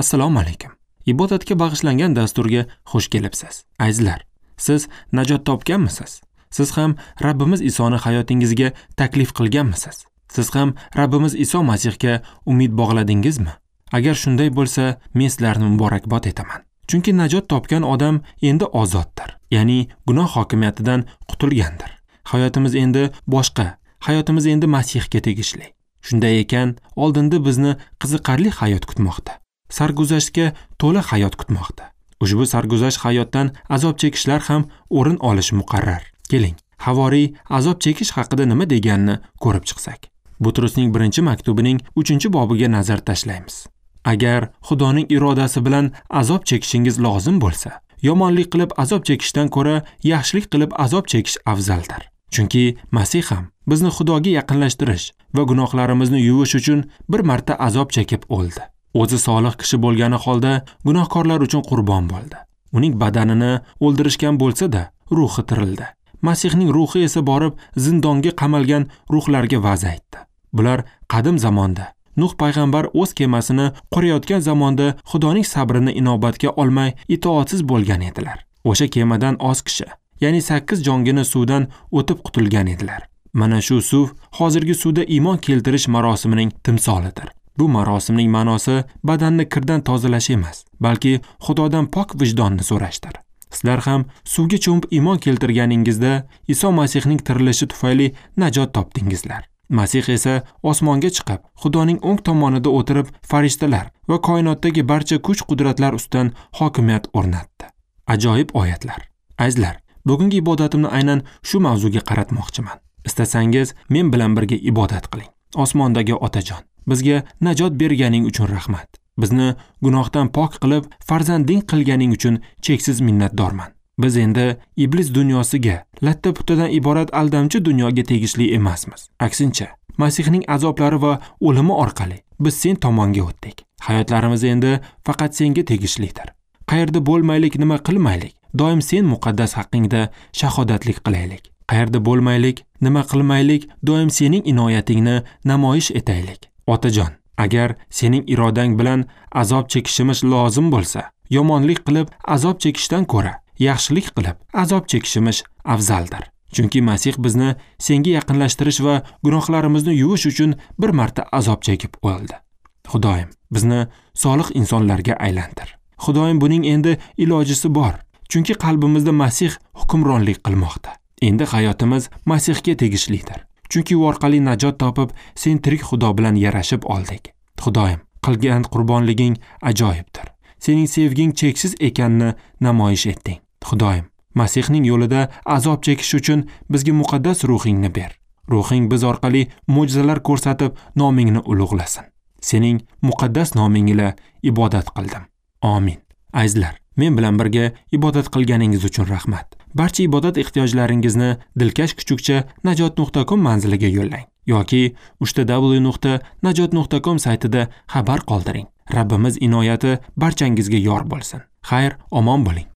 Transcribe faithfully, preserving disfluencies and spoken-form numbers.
Assalomu alaykum. Ibodatga bag'ishlangan dasturga xush kelibsiz. Azizlar, siz najot topganmisiz? Siz ham Rabbimiz Isoni hayotingizga taklif qilganmisiz? Siz ham Rabbimiz Iso Masihga umid bog'ladingizmi? Agar shunday bo'lsa, men sizlarni muborakbod etaman. Chunki najot topgan odam endi ozoddir, ya'ni gunoh hokimiyatidan qutulgandir. Hayotimiz endi boshqa, hayotimiz endi Masihga tegishli. Shunday ekan, oldinda bizni qiziqarli hayot kutmoqda. Sarguzashtga to'la hayot kutmoqda. Ushbu sarguzasht hayotdan azob chekishlar ham o'rin olishi muqarrar. Keling, havoriy azob chekish haqida nima deganini ko'rib chiqsak. Butrusning birinchi maktubining uchinchi bobiga nazar tashlaymiz. Agar Xudoning irodasi bilan azob chekishingiz lozim bo'lsa, yomonlik qilib azob chekishdan ko'ra yaxshilik qilib azob chekish afzaldir. Chunki Masih ham bizni Xudoga yaqinlashtirish va gunohlarimizni yuvish uchun bir marta azob chekib o'ldi. O'zi solih kishi bo'lgani holda gunohkorlar uchun qurbon bo'ldi. Uning badanini o'ldirishgan bo'lsa-da, ruhi tirildi. Masihning ruhi esa borib zindonga qamalgan ruhlarga va'z aytdi. Bular qadim zamonda Nuh payg'ambar o'z kemasini qurayotgan zamonda Xudoning sabrini inobatga olmay itoatsiz bo'lgan edilar. O'sha kemadan oz kishi, ya'ni sakkiz jongina suvdan o'tib qutulgan edilar. Mana shu suv hozirgi suvda iymon keltirish marosimining timsolidir. Bu marosimning ma'nosi badanni kirdan tozalash emas, balki Xudodan pok vijdonni so'rashdir. Sizlar ham suvga cho'mib iymon keltirganingizda Iso Masihning tirilishi tufayli najot topdingizlar. Masih esa osmonga chiqib, Xudoning o'ng tomonida o'tirib, farishtalar va koinotdagi barcha kuch-qudratlar ustidan hokimiyat o'rnatdi. Ajoyib oyatlar. Azizlar, bugungi ibodatimni aynan shu mavzuga qaratmoqchiman. Istasangiz, men bilan birga ibodat qiling. Osmondagi Otajon, bizga najot berganing uchun rahmat. Bizni gunohdan pok qilib, farzanding qilganing uchun cheksiz minnatdorman. Biz endi iblis dunyosiga, latta-puttadan iborat aldamchi dunyoga tegishli emasmiz. Aksincha, Masihning azoblari va o'limi orqali biz sen tomonga o'tdik. Hayotlarimiz endi faqat senga tegishlidir. Qayerda bo'lmaylik, nima qilmaylik, doim sen muqaddas haqqingda shahodatlik qilaylik. Qayerda bo'lmaylik, nima qilmaylik, doim sening inoyatingni namoyish etaylik. Otajon, agar sening irodang bilan azob chekishimiz lozim bo'lsa, yomonlik qilib azob chekishdan ko'ra yaxshilik qilib azob chekishimiz afzaldir. Chunki Masih bizni senga yaqinlashtirish va gunohlarimizni yuvish uchun bir marta azob chekib o'ldi. Xudoyim, bizni solih insonlarga aylantir. Xudoyim, buning endi ilojisi bor. Chunki qalbimizda Masih hukmronlik qilmoqda. Endi hayotimiz Masihga tegishlidir. Chunki u orqali najot topib, sen tirik Xudo bilan yarashib oldik. Xudoyim, qilgan qurbonliging ajoyibdir. Sening sevging cheksiz ekanini namoyish etding. Xudoyim, Masihning yo'lida azob chekish uchun bizga muqaddas ruhingni ber. Ruhing biz orqali mo'jizalar ko'rsatib, nomingni ulug'lasin. Sening muqaddas noming ila ibodat qildim. Amin. Azizlar, men bilan birga ibodat qilganingiz uchun rahmat. Barcha ibodat ehtiyojlaringizni dilkash kuchukcha najot nuqta com manziliga yo'llang yoki uchta w nuqta najot nuqta com saytida xabar qoldiring. Rabbimiz inoyati barchangizga yor bo'lsin. Xayr, omon bo'ling.